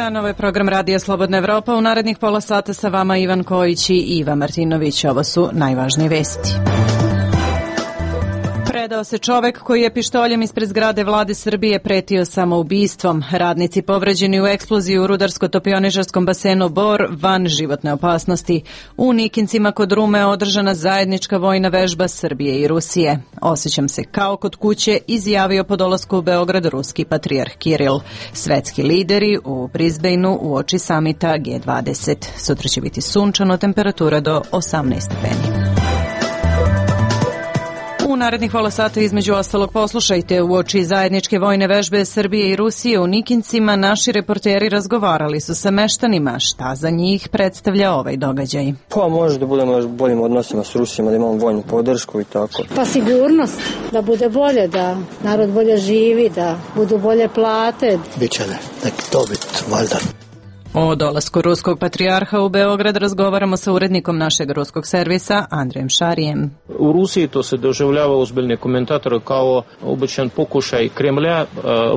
dan, ovo je program Radija Slobodna Evropa. U narednih pola sata sa vama Ivan Kojić i Iva Martinović. Ovo su najvažnije vesti. Predao se čovek koji je pištoljem ispred zgrade vlade Srbije pretio samoubistvom. Radnici povređeni u eksploziji u rudarsko-topioničarskom basenu Bor van životne opasnosti. U Nikincima kod Rume održana zajednička vojna vežba Srbije i Rusije. Osjećam se kao kod kuće, izjavio po dolasku u Beograd ruski patrijarh Kiril. Svetski lideri u Brisbaneu uoči samita G20. Sutra će biti sunčano, temperatura do 18 stepeni. U narednih pola sata između ostalog poslušajte uoči zajedničke vojne vežbe Srbije i Rusije u Nikincima naši reporteri razgovarali su sa meštanima. Šta za njih predstavlja ovaj događaj? Pa može da budemo još boljim odnosima s Rusima, da imamo vojnu podršku i tako. Pa sigurnost, da bude bolje, da narod bolje živi, da budu bolje plate. Biće neki dobit, valjda. O dolasku ruskog patrijarha u Beograd razgovaramo sa urednikom našeg ruskog servisa Andrejem Šarijem. U Rusiji to se doživljava ozbiljni komentatori kao običan pokušaj Kremlja,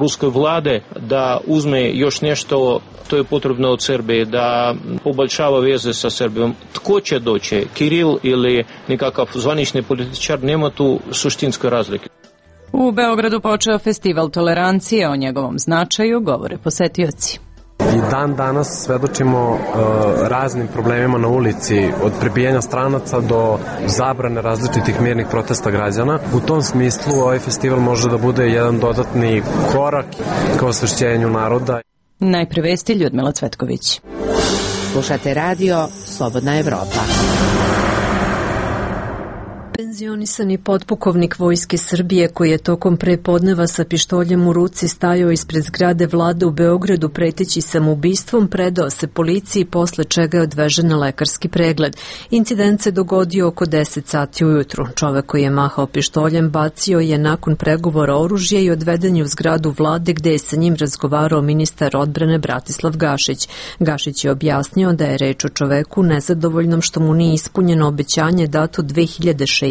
ruske vlade da uzme još nešto, to je potrebno od Srbije, da poboljšava veze sa Srbijom. Tko će doći, Kiril ili nekakav zvanični političar, nema tu suštinske razlike. U Beogradu počeo festival tolerancije, o njegovom značaju govore posetioci. I dan danas svedočimo raznim problemima na ulici, od prebijanja stranaca do zabrane različitih mirnih protesta građana. U tom smislu ovaj festival može da bude jedan dodatni korak ka osvešćenju naroda. Najpre vesti Ljudmila Cvetković. Slušate radio Slobodna Evropa. Penzionisani potpukovnik Vojske Srbije koji je tokom prepodneva sa pištoljem u ruci stajao ispred zgrade vlade u Beogradu preteći samoubistvom predao se policiji, posle čega je odvežen na lekarski pregled. Incident se dogodio oko 10 sati ujutru. Čovek koji je mahao pištoljem bacio je nakon pregovora oružje i odveden je u zgradu vlade gde je sa njim razgovarao ministar odbrane Bratislav Gašić. Gašić je objasnio da je reč o čoveku nezadovoljnom što mu nije ispunjeno obećanje dato 2006.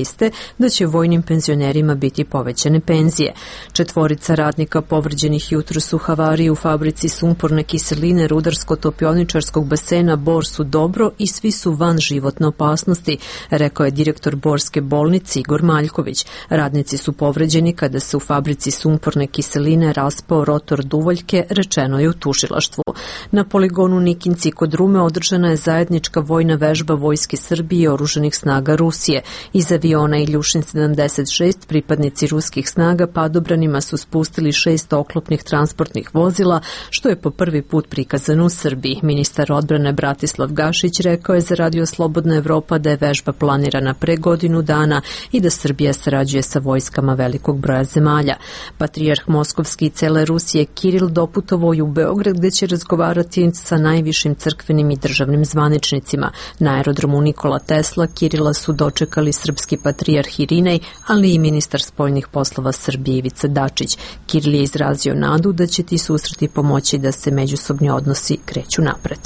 da će vojnim penzionerima biti povećane penzije. 4 radnika povređenih jutros u havariji u fabrici sumporne kiseline rudarsko-topioničarskog basena Bor su dobro i svi su van životne opasnosti, rekao je direktor Borske bolnice Igor Maljković. Radnici su povređeni kada se u fabrici sumporne kiseline raspao rotor duvaljke, rečeno je u tužilaštvu. Na poligonu Nikinci kod Rume održana je zajednička vojna vežba Vojske Srbije i oružanih snaga Rusije. Iz aviona Iljušin 76 pripadnici ruskih snaga padobranima su spustili 6 oklopnih transportnih vozila, što je po prvi put prikazano u Srbiji. Ministar odbrane Bratislav Gašić rekao je za Radio Slobodna Evropa da je vežba planirana pre godinu dana i da Srbija sarađuje sa vojskama velikog broja zemalja. Patrijarh Moskovski i cele Rusije Kiril doputovao je u Beograd gde će razgovarati sa najvišim crkvenim i državnim zvaničnicima. Na aerodromu Nikola Tesla Kirila su dočekali srpski patrijarh Irinej, ali i ministar spoljnih poslova Srbije Ivica Dačić. Kiril je izrazio nadu da će ti susreti pomoći da se međusobni odnosi kreću napred.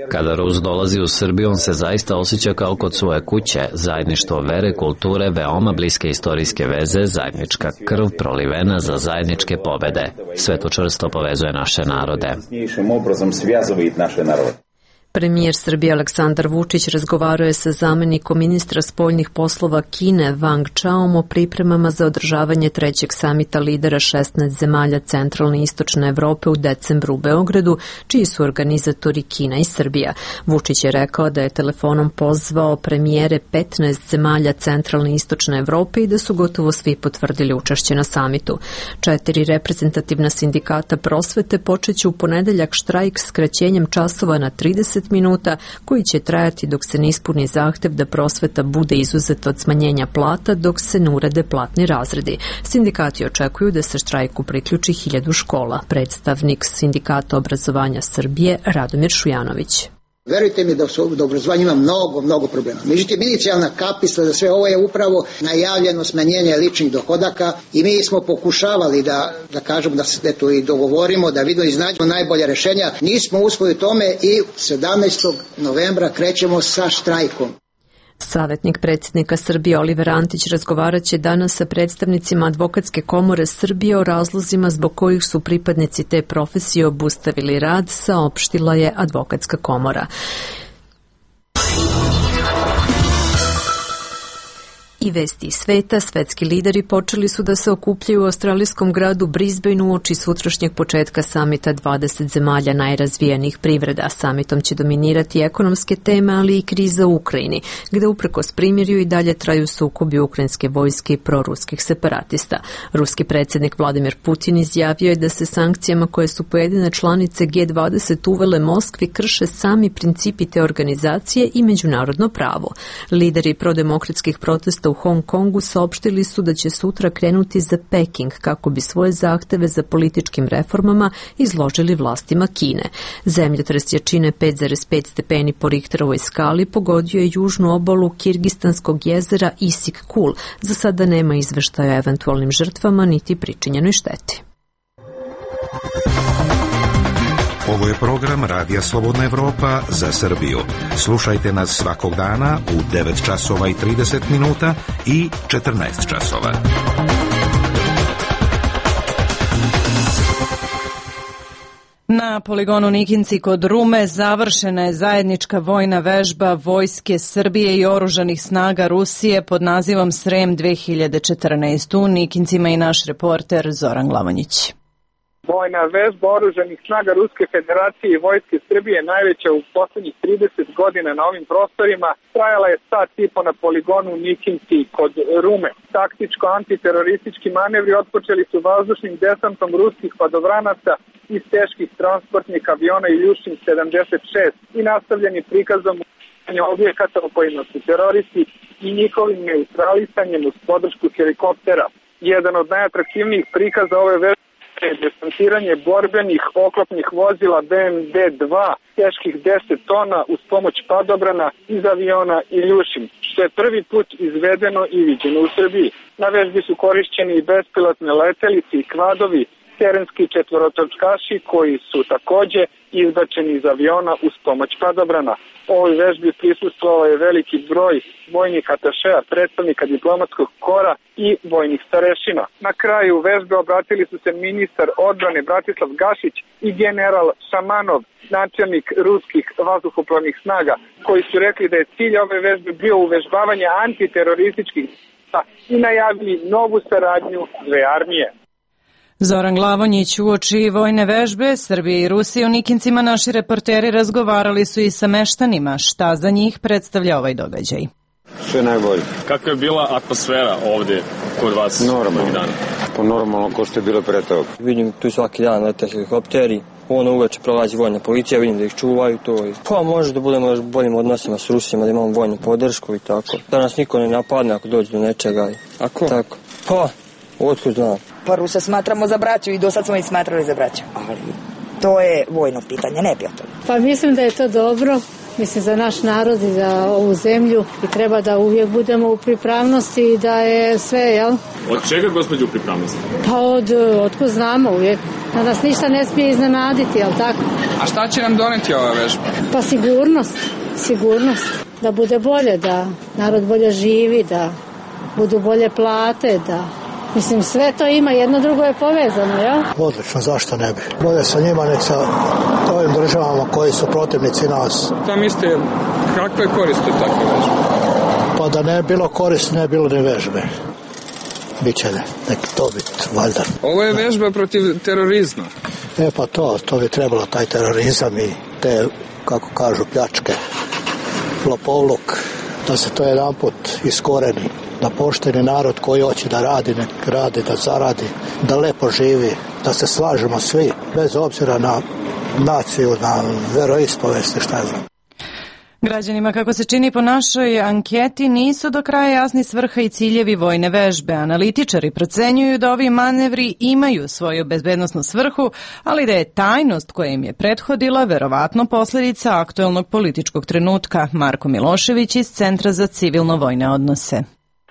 Kada Rus dolazi u Srbiju, on se zaista osjeća kao kod svoje kuće. Zajedništvo vere, kulture, veoma bliske istorijske veze, zajednička krv prolivena za zajedničke pobede. Sve to čvrsto povezuje naše narode. Premijer Srbije Aleksandar Vučić razgovarao je sa zamenikom ministra spoljnih poslova Kine Wang Chaom o pripremama za održavanje 3. samita lidera 16 zemalja centralne i istočne Evrope u decembru u Beogradu, čiji su organizatori Kina i Srbija. Vučić je rekao da je telefonom pozvao premijere 15 zemalja centralne i istočne Evrope i da su gotovo svi potvrdili učešće na samitu. 4 reprezentativna sindikata prosvete počeće u ponedeljak štrajk skraćenjem časova na 30 minuta, koji će trajati dok se ne ispuni zahtev da prosveta bude izuzeta od smanjenja plata dok se ne urede platni razredi. Sindikati očekuju da se štrajku priključi 1000 škola. Predstavnik Sindikata obrazovanja Srbije Radomir Šujanović. Verujte mi da u obrazovanju ima mnogo problema. Međutim, inicijalna kapisla za sve ovo je upravo najavljeno smanjenje ličnih dohodaka i mi smo pokušavali da kažemo da se to i dogovorimo, da vidimo i iznađemo najbolje rešenja. Nismo uspeli u tome i 17. novembra krećemo sa štrajkom. Savjetnik predsjednika Srbije Oliver Antić razgovarat će danas sa predstavnicima Advokatske komore Srbije o razlozima zbog kojih su pripadnici te profesije obustavili rad, saopštila je Advokatska komora. I vesti iz sveta, svetski lideri počeli su da se okupljaju u australijskom gradu Brisbaneu uoči sutrašnjeg početka samita 20 zemalja najrazvijenijih privreda. Samitom će dominirati ekonomske teme, ali i kriza u Ukrajini, gde uprkos primirju i dalje traju sukobi ukrajinske vojske i proruskih separatista. Ruski predsjednik Vladimir Putin izjavio je da se sankcijama koje su pojedine članice G20 uvele Moskvi krše sami principi te organizacije i međunarodno pravo. Lideri prodemokratskih protesta u Hong Kongu saopštili su da će sutra krenuti za Peking kako bi svoje zahteve za političkim reformama izložili vlastima Kine. Zemljotres jačine 5,5 stepeni po Richterovoj skali pogodio je južnu obalu Kirgistanskog jezera Issyk-Kul. Za sada nema izveštaja o eventualnim žrtvama niti pričinjenoj šteti. Ovo je program Radija Slobodna Evropa za Srbiju. Slušajte nas svakog dana u 9 časova i 30 minuta i 14 časova. Na poligonu Nikinci kod Rume završena je zajednička vojna vežba Vojske Srbije i oružanih snaga Rusije pod nazivom Srem 2014. U Nikincima i naš reporter Zoran Glavonjić. Vojna vežba oružanih snaga Ruske federacije i Vojske Srbije, najveća u poslednjih 30 godina na ovim prostorima, trajala je sat i po na poligonu Nikinci kod Rume. Taktičko-antiteroristički manevri otpočeli su vazdušnim desantom ruskih padobranaca iz teških transportnih aviona Iljušin 76 i nastavljeni prikazom objekata u kojima su teroristi i njihovim neutralisanjem uz podršku helikoptera. Jedan od najatraktivnijih prikaza ove vežbe je desantiranje borbenih oklopnih vozila BMD-2 teških 10 tona uz pomoć padobrana iz aviona Iljušin, što je prvi put izvedeno i viđeno u Srbiji. Na vežbi su korišćeni i bespilotne letelice i kvadovi, terenski četvorotočkaši koji su takođe izbačeni iz aviona uz pomoć padobrana. Ovoj vežbi prisustvovao je veliki broj vojnih atašeja, predstavnika diplomatskog kora i vojnih starešina. Na kraju vežbe obratili su se ministar odbrane Bratislav Gašić i general Šamanov, načelnik ruskih vazduhoplovnih snaga, koji su rekli da je cilj ove vežbe bio uvežbavanje antiterorističkih i najavili novu saradnju dve armije. Zoran Glavonjić. Uoči vojne vežbe Srbije i Rusije u Nikincima naši reporteri razgovarali su i sa meštanima. Šta za njih predstavlja ovaj događaj? Sve najbolje. Kakva je bila atmosfera ovde kod vas? Normalno. Pa normalno ko što je bilo pre toga. Vidim tu svaki dan lete helikopteri. Uveče prolazi vojna policija, vidim da ih čuvaju to. Pa može da budemo još boljim odnosima s Rusima, da imamo vojnu podršku i tako. Da nas niko ne napadne ako dođe do nečega. Ako? Tako. Pa, otkud znam. Pa Rusa smatramo za braću i do sad smo ih smatrali za braću. Ali to je vojno pitanje, ne prijatelj. Pa mislim da je to dobro. Mislim za naš narod i za ovu zemlju i treba da uvijek budemo u pripravnosti i da je sve, jel? Od čega, gospođo, u pripravnosti? Pa otkud znamo uvijek. Da nas ništa ne smije iznenaditi, jel tako? A šta će nam doneti ova vežba? Pa sigurnost. Da bude bolje, da narod bolje živi, da budu bolje plate, da... Mislim, sve to ima, jedno drugo je povezano, jel? Odlično, zašto ne bi? Bolje sa njima nek sa ovim državama koji su protivnici nas. Da mislite, kakve koriste takve vežbe? Pa da ne bilo korist, ne bilo ni vežbe. Biće nek to biti, valjda. Ovo je vežba protiv terorizma. Pa to bi trebalo, taj terorizam i te, kako kažu, pljačke, lopovluk, da se to jedan put iskoreni. Da pošteni narod koji hoće da radi, nek radi, da zaradi, da lepo živi, da se slažemo svi, bez obzira na naciju, na veroispovesti, šta je znam. Građanima, kako se čini po našoj anketi, nisu do kraja jasni svrha i ciljevi vojne vežbe. Analitičari procenjuju da ovi manevri imaju svoju bezbednosnu svrhu, ali da je tajnost koja im je prethodila verovatno posljedica aktuelnog političkog trenutka. Marko Milošević iz Centra za civilno-vojne odnose.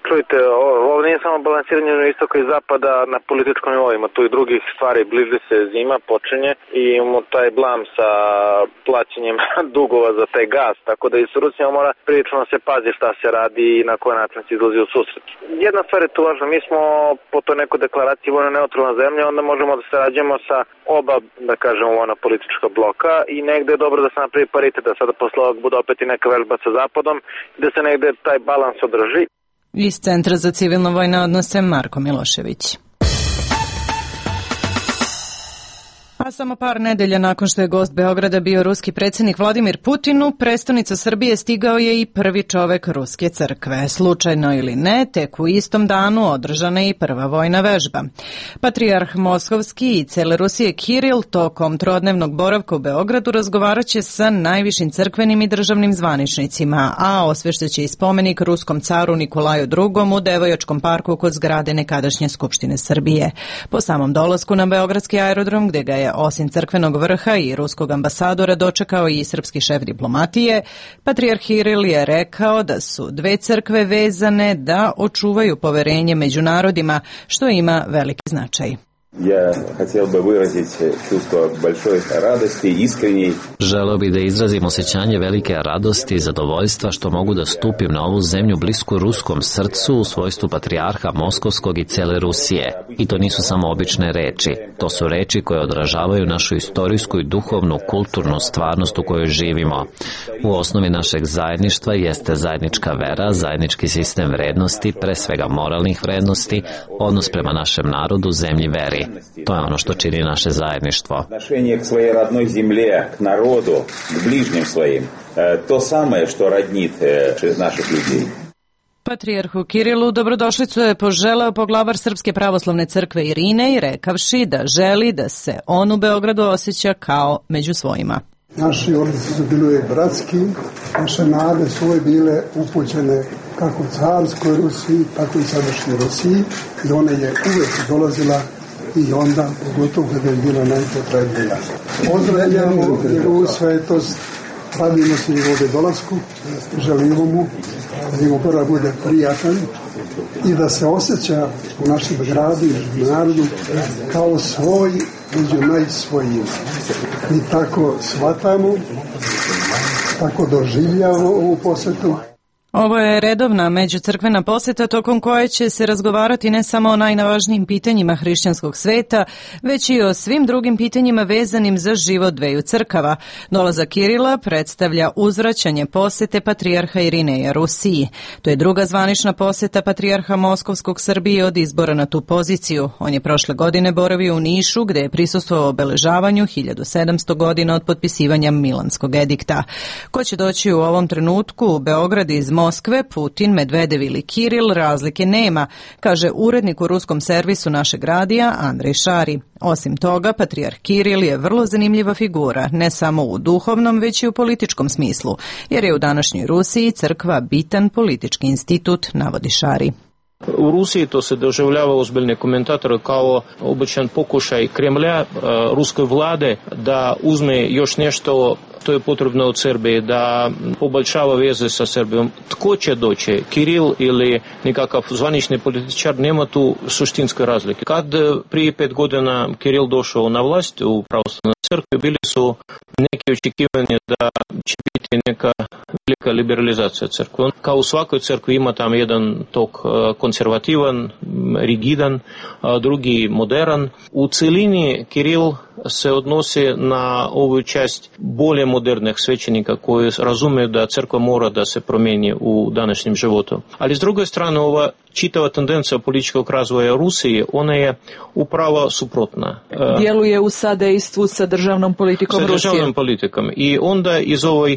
Čujte, ovo nije samo balansiranje na istoka i zapada na političkom nivou, ima tu i drugih stvari, bliži se zima, počinje i imamo taj blam sa plaćanjem dugova za taj gas, tako da i s Rusijom mora prilično se pazi šta se radi i na koji način se izlazi u susret. Jedna stvar je tu važna, mi smo po toj nekoj deklaraciji vojno neutralna zemlja, onda možemo da sarađujemo sa oba, da kažemo, vojna politička bloka i negde je dobro da se napravi paritet, da sada posle ovog bude opet i neka vežba sa zapadom i da se negde taj balans održi. Iz Centra za civilno-vojne odnose Marko Milošević. A samo par nedelja nakon što je gost Beograda bio ruski predsjednik Vladimir Putin, u prestonicu Srbije stigao je i prvi čovek Ruske crkve. Slučajno ili ne, tek u istom danu održana je i prva vojna vežba. Patrijarh Moskovski i cele Rusije Kiril tokom trodnevnog boravka u Beogradu razgovarat će sa najvišim crkvenim i državnim zvaničnicima, a osveštaće i spomenik ruskom caru Nikolaju II u Devojačkom parku kod zgrade nekadašnje Skupštine Srbije. Po samom dolasku na beogradski aerodrom, gde ga je osim crkvenog vrha i ruskog ambasadora dočekao i srpski šef diplomatije, patrijarh Kiril je rekao da su dve crkve vezane da očuvaju poverenje među narodima, što ima veliki značaj. Ja хотел бы выразить чувство большой радости, искренней. Želeo bih da izrazim osjećanje velike radosti i zadovoljstva što mogu da stupim na ovu zemlju blisku ruskom srcu u svojstvu patrijarha Moskovskog i cele Rusije. I to nisu samo obične reči. To su reči koje odražavaju našu istorijsku i duhovnu, kulturnu stvarnost u kojoj živimo. U osnovi našeg zajedništva jeste zajednička vera, zajednički sistem vrednosti, pre svega moralnih vrednosti, odnos prema našem narodu, zemlji, veri. To je ono što čini naše zajedništvo. Отношение к своей родной земле, к народу, к ближним своим. То самое, что роднит наших людей. Patrijarhu Kirilu dobrodošlicu je poželeo poglavar Srpske pravoslavne crkve Irinej, rekavši da želi da se on u Beogradu osjeća kao među svojima. Naši odnosi su bili bratski, naše nade su uvijek bile upućene kako carskoj Rusiji, tako i sadašnjoj Rusiji, i ona je uvijek dolazila i onda, pogotovo kada je bila najpotrebnija. Pozdravljamo njegovu svetost, radimo se njegove dolasku, želimo mu da njegov boravak bude prijatan i da se osjeća u našem gradu i narodu kao svoj među najsvojima. Mi tako shvatamo, tako doživljavamo ovu posjetu. Ovo je redovna međucrkvena poseta tokom koje će se razgovarati ne samo o najvažnijim pitanjima hrišćanskog sveta, već i o svim drugim pitanjima vezanim za život dveju crkava. Dolazak Kirila predstavlja uzvraćanje posete patrijarha Irineja Rusiji. To je druga zvanična poseta patrijarha Moskovskog Srbije od izbora na tu poziciju. On je prošle godine boravio u Nišu, gde je prisustvovao obeležavanju 1700 godina od potpisivanja Milanskog edikta. Ko će doći u ovom trenutku u Beograd iz Moskve, Putin, Medvedev ili Kiril, razlike nema, kaže urednik u ruskom servisu našeg radija Andrej Šari. Osim toga, patrijarh Kiril je vrlo zanimljiva figura, ne samo u duhovnom, već i u političkom smislu, jer je u današnjoj Rusiji crkva bitan politički institut, navodi Šari. U Rusiji to se doživljava ozbiljne komentatore kao običan pokušaj Kremlja, ruske vlade, da uzme još nešto, to je potrebno od Srbije, da poboljšava veze sa Srbijom. Tko će doći, Kiril ili nekakav zvanični političar, nema tu suštinske razlike. Kad prije 5 godina Kiril došao na vlast u pravoslavnoj crkvi, bili su neke očekivanja da će biti neka velika liberalizacija crkve. Kao u svakoj crkvi ima tam jedan tok konzervativan, rigidan, drugi modern. U celini Kiril se odnosi na ovu čast bolje modernih svećenika koji razumiju da crkva mora da se promijeni u današnjem životu. Ali s druge strane, ova čitava tendencija političkog razvoja Rusije, ona je upravo suprotna. Djeluje u sadejstvu sa državnom politikom Rusije. Sa državnom politikom. I onda iz ovoj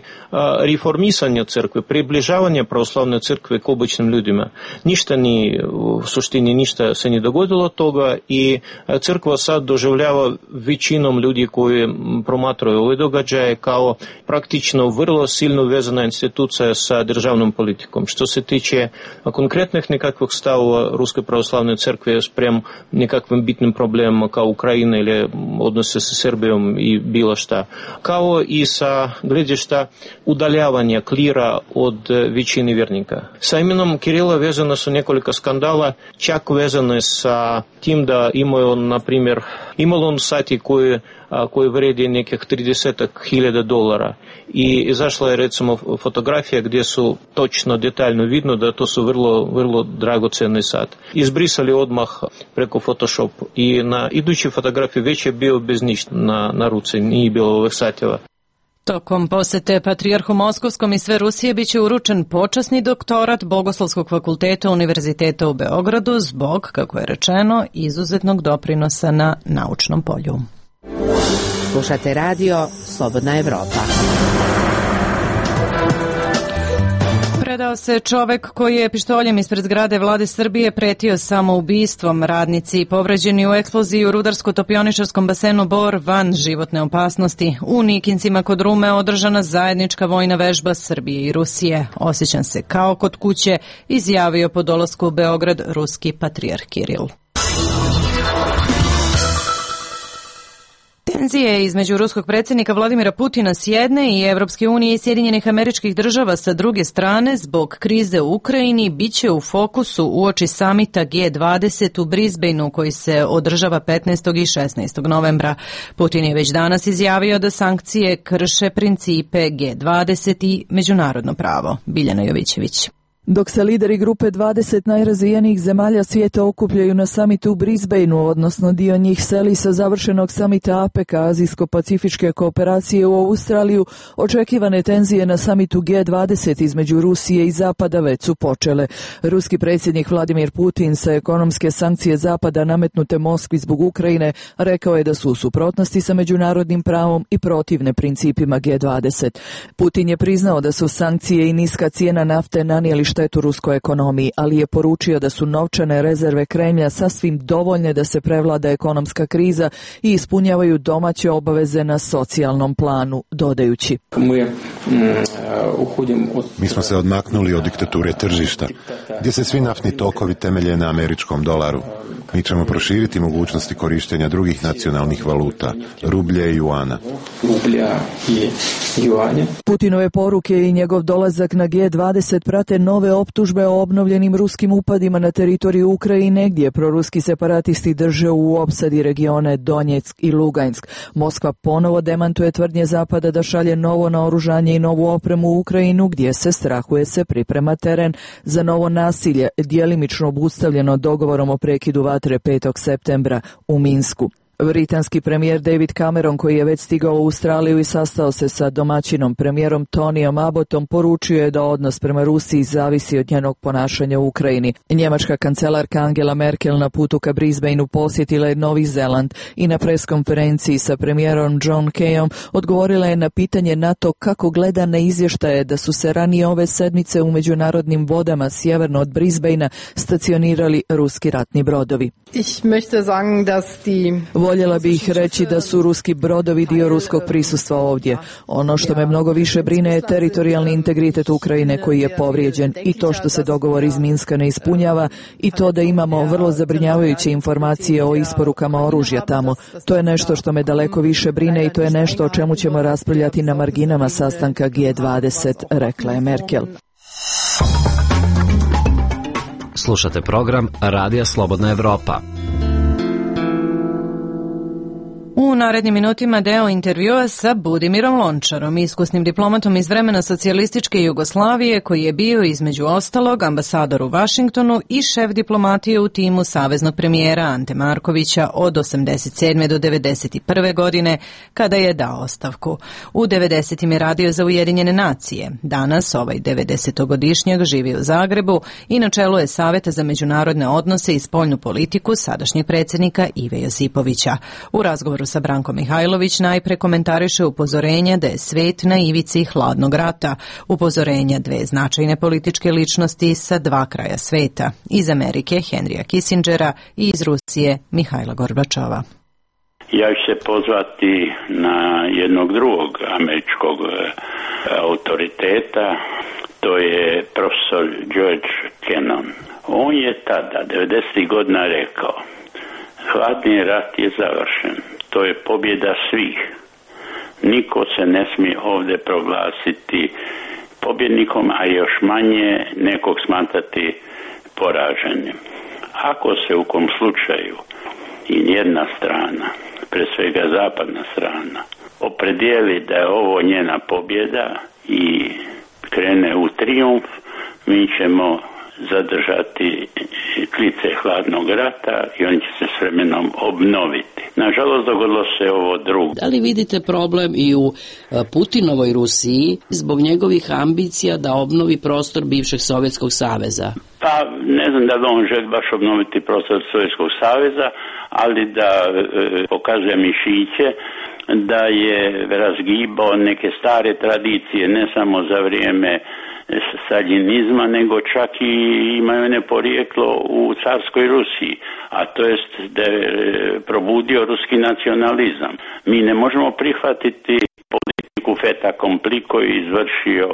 reformisanja crkve, približavanja pravoslavne crkve k običnim ljudima, ništa ni, u suštini ništa se ne dogodilo toga i crkva sad doživljava većinu većinom ljudi koji promatraju ove događaje kao praktično vrlo silno vezana institucija sa državnom politikom. Što se tiče konkretnih nekakvih stavova Ruske pravoslavne crkve sprem nekakvim bitnim problemima kao Ukrajina ili odnose sa Srbijom i bilo šta. Kao i sa gledišta udaljavanja klira od većine vjernika. Sa imenom Kirila vezano su nekoliko skandala, čak vezane sa tim da imaju, na primjer, imalo on sati koji vredi nekih $30,000 i izašla je recimo fotografija gdje su točno detaljno vidno da to su vrlo dragoceni sat. Izbrisali odmah preko Photoshop i na idućoj fotografiji već je bio bez ništa na ruci, nije bilo ovih satjeva. Tokom posete Patrijarhu Moskovskom i sve Rusije biće uručen počasni doktorat Bogoslovskog fakulteta Univerziteta u Beogradu zbog, kako je rečeno, izuzetnog doprinosa na naučnom polju. Slušate radio Slobodna Evropa. Predao se čovek koji je pištoljem ispred zgrade vlade Srbije pretio samoubistvom. Radnici povređeni u eksploziji u rudarsko-topioničarskom basenu Bor van životne opasnosti. U Nikincima kod Rume održana zajednička vojna vežba Srbije i Rusije. Osjećam se kao kod kuće, izjavio po dolasku u Beograd ruski patrijarh Kiril. Tenzije između ruskog predsjednika Vladimira Putina s jedne i Evropske unije i Sjedinjenih Američkih Država sa druge strane zbog krize u Ukrajini biće u fokusu uoči samita G20 u Brisbaneu koji se održava 15. i 16. novembra. Putin je već danas izjavio da sankcije krše principe G20 i međunarodno pravo. Biljana Jovićević. Dok se lideri grupe 20 najrazvijenijih zemalja svijeta okupljaju na samitu u Brisbaneu, odnosno dio njih seli sa završenog samita APEC, Azijsko-pacifičke kooperacije u Australiju, očekivane tenzije na samitu G20 između Rusije i Zapada već su počele. Ruski predsjednik Vladimir Putin sa ekonomske sankcije Zapada nametnute Moskvi zbog Ukrajine rekao je da su u suprotnosti sa međunarodnim pravom i protivne principima G20. Putin je priznao da su sankcije i niska cijena nafte nanijeli štetu ruskoj ekonomiji, ali je poručio da su novčane rezerve Kremlja sasvim dovoljne da se prevlada ekonomska kriza i ispunjavaju domaće obaveze na socijalnom planu, dodajući. Mi smo se odmaknuli od diktature tržišta, gdje se svi naftni tokovi temelje na američkom dolaru. Mi ćemo proširiti mogućnosti korištenja drugih nacionalnih valuta, rublje i juana. Putinove poruke i njegov dolazak na G20 prate nove optužbe o obnovljenim ruskim upadima na teritoriju Ukrajine, gdje proruski separatisti drže u opsadi regione Donjeck i Lugansk. Moskva ponovo demantuje tvrdnje Zapada da šalje novo naoružanje i novu opremu u Ukrajinu, gdje se strahuje se priprema teren za novo nasilje, djelimično obustavljeno dogovorom o prekidu vatre 5. septembra u Minsku. Britanski premijer David Cameron, koji je već stigao u Australiju i sastao se sa domaćinom premijerom Tonyom Abbottom, poručio je da odnos prema Rusiji zavisi od njenog ponašanja u Ukrajini. Njemačka kancelarka Angela Merkel na putu ka Brisbaneu posjetila je Novi Zeland i na preskonferenciji sa premijerom John Keyom odgovorila je na pitanje NATO kako gleda na izvještaje da su se ranije ove sedmice u međunarodnim vodama sjeverno od Brisbanea stacionirali ruski ratni brodovi. Voljela bih reći da su ruski brodovi dio ruskog prisustva ovdje. Ono što me mnogo više brine je teritorijalni integritet Ukrajine koji je povrijeđen i to što se dogovor iz Minska ne ispunjava i to da imamo vrlo zabrinjavajuće informacije o isporukama oružja tamo. To je nešto što me daleko više brine i to je nešto o čemu ćemo raspravljati na marginama sastanka G20, rekla je Merkel. Slušate program Radija Slobodna Evropa. U narednim minutima deo intervjua sa Budimirom Lončarom, iskusnim diplomatom iz vremena socijalističke Jugoslavije koji je bio između ostalog ambasador u Vašingtonu i šef diplomatije u timu saveznog premijera Ante Markovića od 87. do 91. godine kada je dao ostavku. U 90. je radio za Ujedinjene nacije. Danas ovaj 90-godišnjak živi u Zagrebu i na čelu je Saveta za međunarodne odnose i spoljnu politiku sadašnjeg predsjednika Ive Josipovića. U razgovoru sa Branko Mihajlović najpre komentariše upozorenja da je svet na ivici hladnog rata, upozorenja dve značajne političke ličnosti sa dva kraja sveta, iz Amerike Henrya Kissingera i iz Rusije Mihajla Gorbačova. Ja ću se pozvati na jednog drugog američkog autoriteta, to je profesor George Kennan. On je tada, 90. godina, rekao: hladni rat je završen, to je pobjeda svih. Niko se ne smije ovdje proglasiti pobjednikom, a još manje nekog smatrati poraženim. Ako se u kom slučaju i jedna strana, pre svega zapadna strana, opredijeli da je ovo njena pobjeda i krene u trijumf, mi ćemo zadržati klice hladnog rata i on će se s vremenom obnoviti. Nažalost, dogodilo se ovo drugo. Da li vidite problem i u Putinovoj Rusiji zbog njegovih ambicija da obnovi prostor bivšeg Sovjetskog saveza? Pa ne znam da li on želi baš obnoviti prostor Sovjetskog saveza, ali da pokazuje mišiće, da je razgibao neke stare tradicije, ne samo za vrijeme staljinizma, nego čak i imaju ne porijeklo u carskoj Rusiji, a to jest da je probudio ruski nacionalizam. Mi ne možemo prihvatiti politiku fait accompli koju je izvršio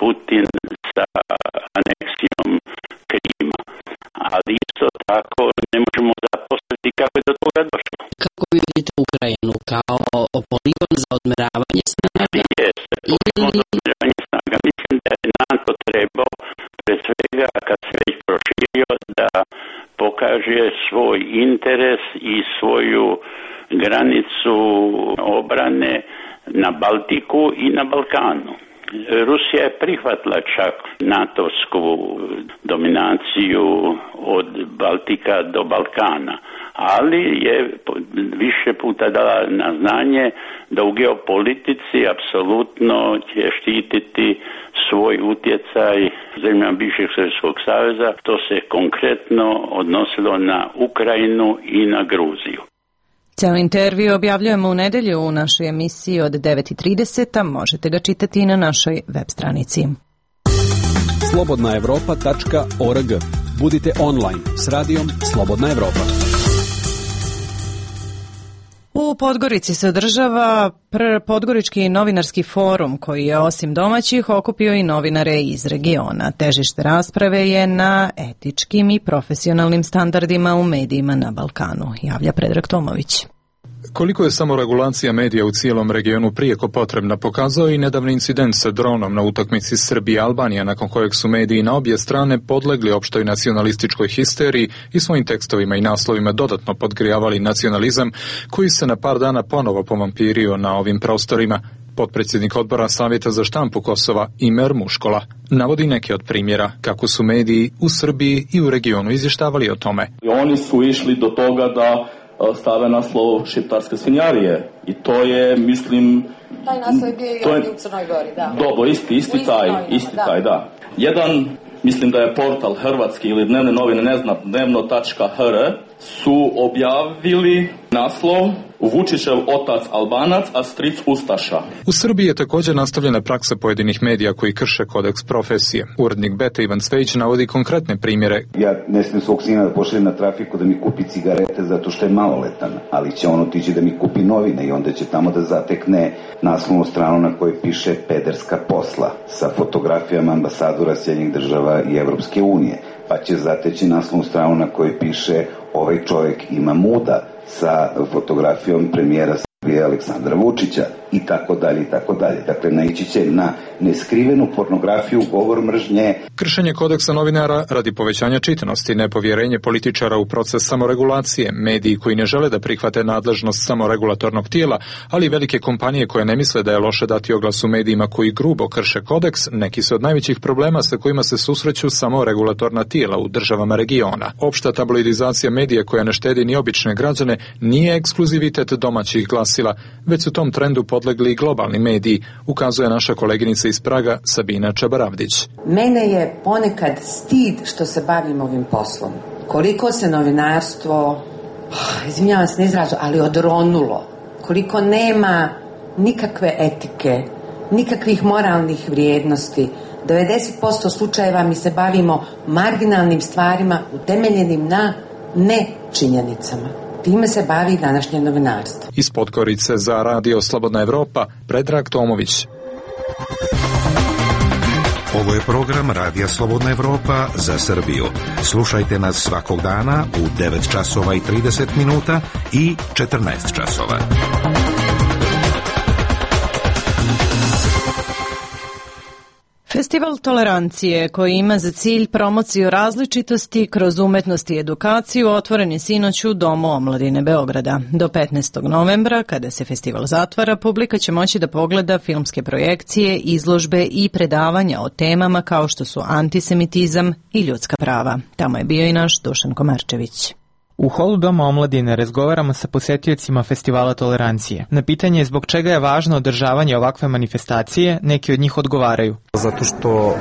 Putin sa aneksijom Krima, ali isto tako ne možemo zaposliti kako je do toga došlo. Kako vidite Ukrajinu? Kao poligon za odmeravanje snaga? Jeste, poligon za odmeravanje snaga. Mislim da je NATO trebao, pre svega kad se već proširio, da pokaže svoj interes i svoju granicu obrane na Baltiku i na Balkanu. Rusija je prihvatila čak natovsku dominaciju od Baltika do Balkana, ali je više puta dala na znanje da u geopolitici apsolutno će štititi svoj utjecaj zemljama bivšeg Sovjetskog saveza. To se konkretno odnosilo na Ukrajinu i na Gruziju. Cijeli intervju objavljujemo u nedelju u našoj emisiji od 9:30, možete ga čitati i na našoj web stranici. slobodnaevropa.org. Budite online s radijom Slobodna Evropa. U Podgorici se održava Podgorički novinarski forum koji je osim domaćih okupio i novinare iz regiona. Težište rasprave je na etičkim i profesionalnim standardima u medijima na Balkanu, javlja Predrag Tomović. Koliko je samoregulacija medija u cijelom regionu prijeko potrebna pokazao i nedavni incident sa dronom na utakmici Srbija-Albanija, nakon kojeg su mediji na obje strane podlegli opštoj nacionalističkoj histeriji i svojim tekstovima i naslovima dodatno podgrijavali nacionalizam koji se na par dana ponovo povampirio na ovim prostorima. Potpredsjednik odbora Savjeta za štampu Kosova Imer Muškola navodi neke od primjera kako su mediji u Srbiji i u regionu izvještavali o tome. Oni su išli do toga da stave naslov šiptarske svinjarije i to je, mislim... Taj naslov je bio i ovdje u Crnoj Gori, da. Dobro, isti taj, da. Jedan, mislim da je portal hrvatski ili dnevne novine, ne znam, dnevno.hr, su objavili naslov Vučićev otac Albanac, a stric Ustaša. U Srbiji je također nastavljena praksa pojedinih medija koji krše kodeks profesije. Urednik Beta Ivan Cvejić navodi konkretne primjere. Ja ne smijem svog sina da pošaljem na trafiku da mi kupi cigarete zato što je maloletan, ali će on otići da mi kupi novine i onda će tamo da zatekne naslovnu stranu na kojoj piše pederska posla sa fotografijama ambasadora Sjedinjenih država i Evropske unije. Pa će zateći naslovnu stranu na kojoj piše ovaj čovjek ima muda sa fotografijom premijera Srbije Aleksandra Vučića i tako dalje i tako dalje. Dakle, naići će na neskrivenu pornografiju, govor mržnje. Kršenje kodeksa novinara radi povećanja čitanosti, nepovjerenje političara u proces samoregulacije, mediji koji ne žele da prihvate nadležnost samoregulatornog tijela, ali velike kompanije koje ne misle da je loše dati oglas u medijima koji grubo krše kodeks, neki su od najvećih problema sa kojima se susreću samoregulatorna tijela u državama regiona. Opšta tabloidizacija medija koja ne štedi ni obične građane nije ekskluzivitet domaćih glasila, već su tom trendu podlegli i globalni mediji, ukazuje naša koleginica iz Praga Sabina Čabaravdić. Mene je ponekad stid što se bavim ovim poslom. Koliko se novinarstvo, izvinjavam se na izrazu, ali odronulo. Koliko nema nikakve etike, nikakvih moralnih vrijednosti. 90% slučajeva mi se bavimo marginalnim stvarima utemeljenim na nečinjenicama. Time se bavi današnje novinarstvo. Iz Podgorice za Radio Slobodna Evropa, Predrag Tomović. Ovo je program Radija Slobodna Evropa za Srbiju. Slušajte nas svakog dana u 9 časova i 30 minuta i 14 časova. Festival tolerancije, koji ima za cilj promociju različitosti kroz umetnost i edukaciju, otvoren je sinoć u Domu omladine Beograda. Do 15. novembra, kada se festival zatvara, publika će moći da pogleda filmske projekcije, izložbe i predavanja o temama kao što su antisemitizam i ljudska prava. Tamo je bio i naš Dušan Komarčević. U holu Doma omladine razgovaramo sa posetiocima Festivala tolerancije. Na pitanje zbog čega je važno održavanje ovakve manifestacije, neki od njih odgovaraju. Zato što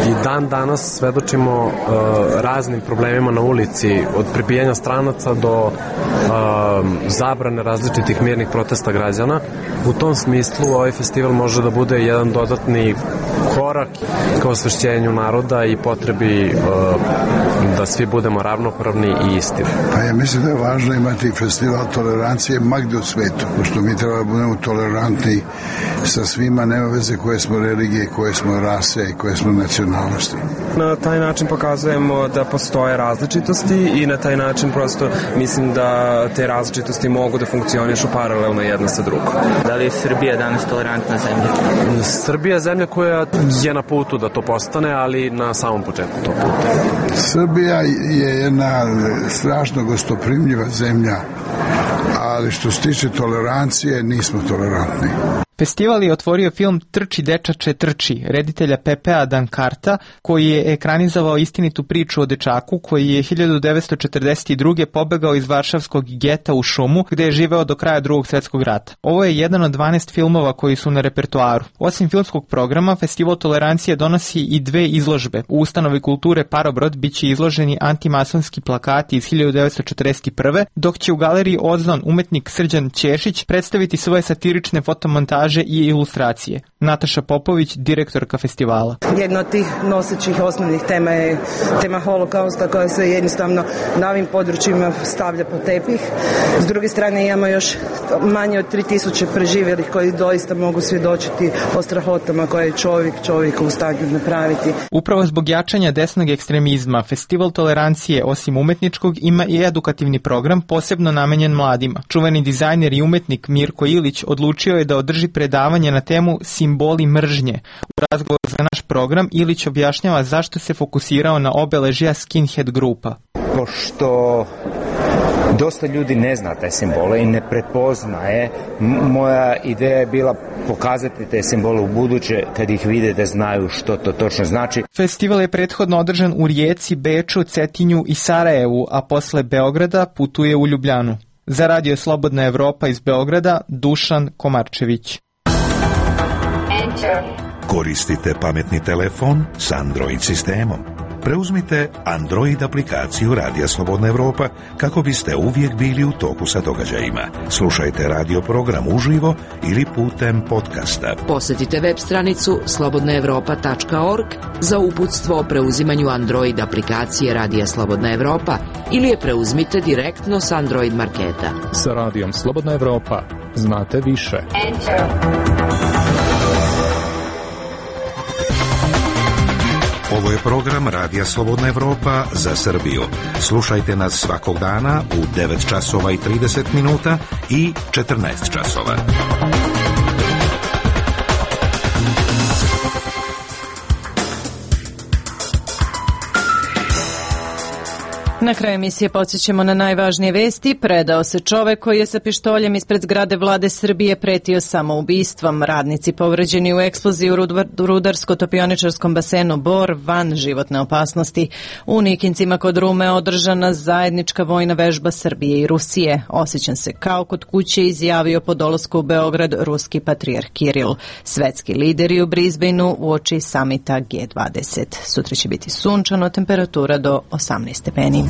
i dan danas svedočimo raznim problemima na ulici, od prebijanja stranaca do zabrane različitih mirnih protesta građana. U tom smislu ovaj festival može da bude jedan dodatni korak ka osvešćenju naroda i potrebi da svi budemo ravnopravni i isti. Pa ja mislim da je važno imati festival tolerancije magde u svetu, pošto mi treba da budemo tolerantni sa svima, nema veze koje smo religije, koje smo rase i koje smo nacionalnosti. Na taj način pokazujemo da postoje različitosti i na taj način prosto mislim da te različitosti mogu da funkcionišu paralelno jedna sa drugom. Da li je Srbija danas tolerantna zemlja? Srbija je zemlja koja je na putu da to postane, ali na samom početku tog puta. Srbija je jedna strašno gostoprimljiva zemlja, ali što se tiče tolerancije nismo tolerantni. Festival je otvorio film Trči dečače trči, reditelja Pepea Dankarta, koji je ekranizovao istinitu priču o dečaku koji je 1942. pobegao iz varšavskog geta u šumu, gde je živeo do kraja Drugog svjetskog rata. Ovo je jedan od 12 filmova koji su na repertoaru. Osim filmskog programa, Festival tolerancije donosi i 2 izložbe. U ustanovi kulture Parobrod biće izloženi antimasonski plakati iz 1941. dok će u galeriji Ozon umetnik Srđan Ćešić predstaviti svoje satirične fotomontaže i ilustracije. Nataša Popović, direktorka festivala. Jedna od tih nosećih osnovnih tema je tema holokausta koja se jednostavno na ovim područjima stavlja po tepih. S druge strane imamo još manje od 3000 preživjelih koji doista mogu svjedočiti o strahotama koje je čovjek u stanju napraviti. Upravo zbog jačanja desnog ekstremizma, Festival tolerancije osim umetničkog ima i edukativni program posebno namenjen mladima. Čuveni dizajner i umetnik Mirko Ilić odlučio je da održi predavanje na temu simboli mržnje. U razgovoru za naš program Ilić objašnjava zašto se fokusirao na obeležja skinhead grupa. Pošto dosta ljudi ne zna te simbole i ne prepoznaje, moja ideja je bila pokazati te simbole u buduće, kad ih vide da znaju što to točno znači. Festival je prethodno održan u Rijeci, Beču, Cetinju i Sarajevu, a posle Beograda putuje u Ljubljanu. Za Radio Slobodna Evropa iz Beograda, Dušan Komarčević. Koristite pametni telefon s Android sistemom. Preuzmite Android aplikaciju Radija Slobodna Evropa kako biste uvijek bili u toku sa događajima. Slušajte radio program uživo ili putem podcasta. Posjetite web stranicu slobodnaevropa.org za uputstvo o preuzimanju Android aplikacije Radija Slobodna Evropa ili je preuzmite direktno s Android marketa. Sa Radijom Slobodna Evropa znate više. Ovo je program Radija Slobodna Evropa za Srbiju. Slušajte nas svakog dana u 9 časova i 30 minuta i 14 časova. Na kraju emisije podsjećamo na najvažnije vesti. Predao se čovek koji je sa pištoljem ispred zgrade vlade Srbije pretio samoubistvom. Radnici povređeni u eksploziji u rudarsko-topioničarskom basenu Bor van životne opasnosti. U Nikincima kod Rume održana zajednička vojna vežba Srbije i Rusije. Osjećam se kao kod kuće, izjavio po dolasku u Beograd ruski patrijarh Kiril. Svetski lideri u Brisbaneu uoči samita G20. Sutra će biti sunčano, temperatura do 18 stepeni.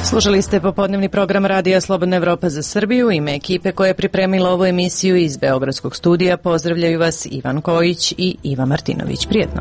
Slušali ste popodnevni program Radija Slobodna Evropa za Srbiju. Ime ekipe koja je pripremila ovu emisiju iz Beogradskog studija pozdravljaju vas Ivan Kojić i Iva Martinović. Prijetno.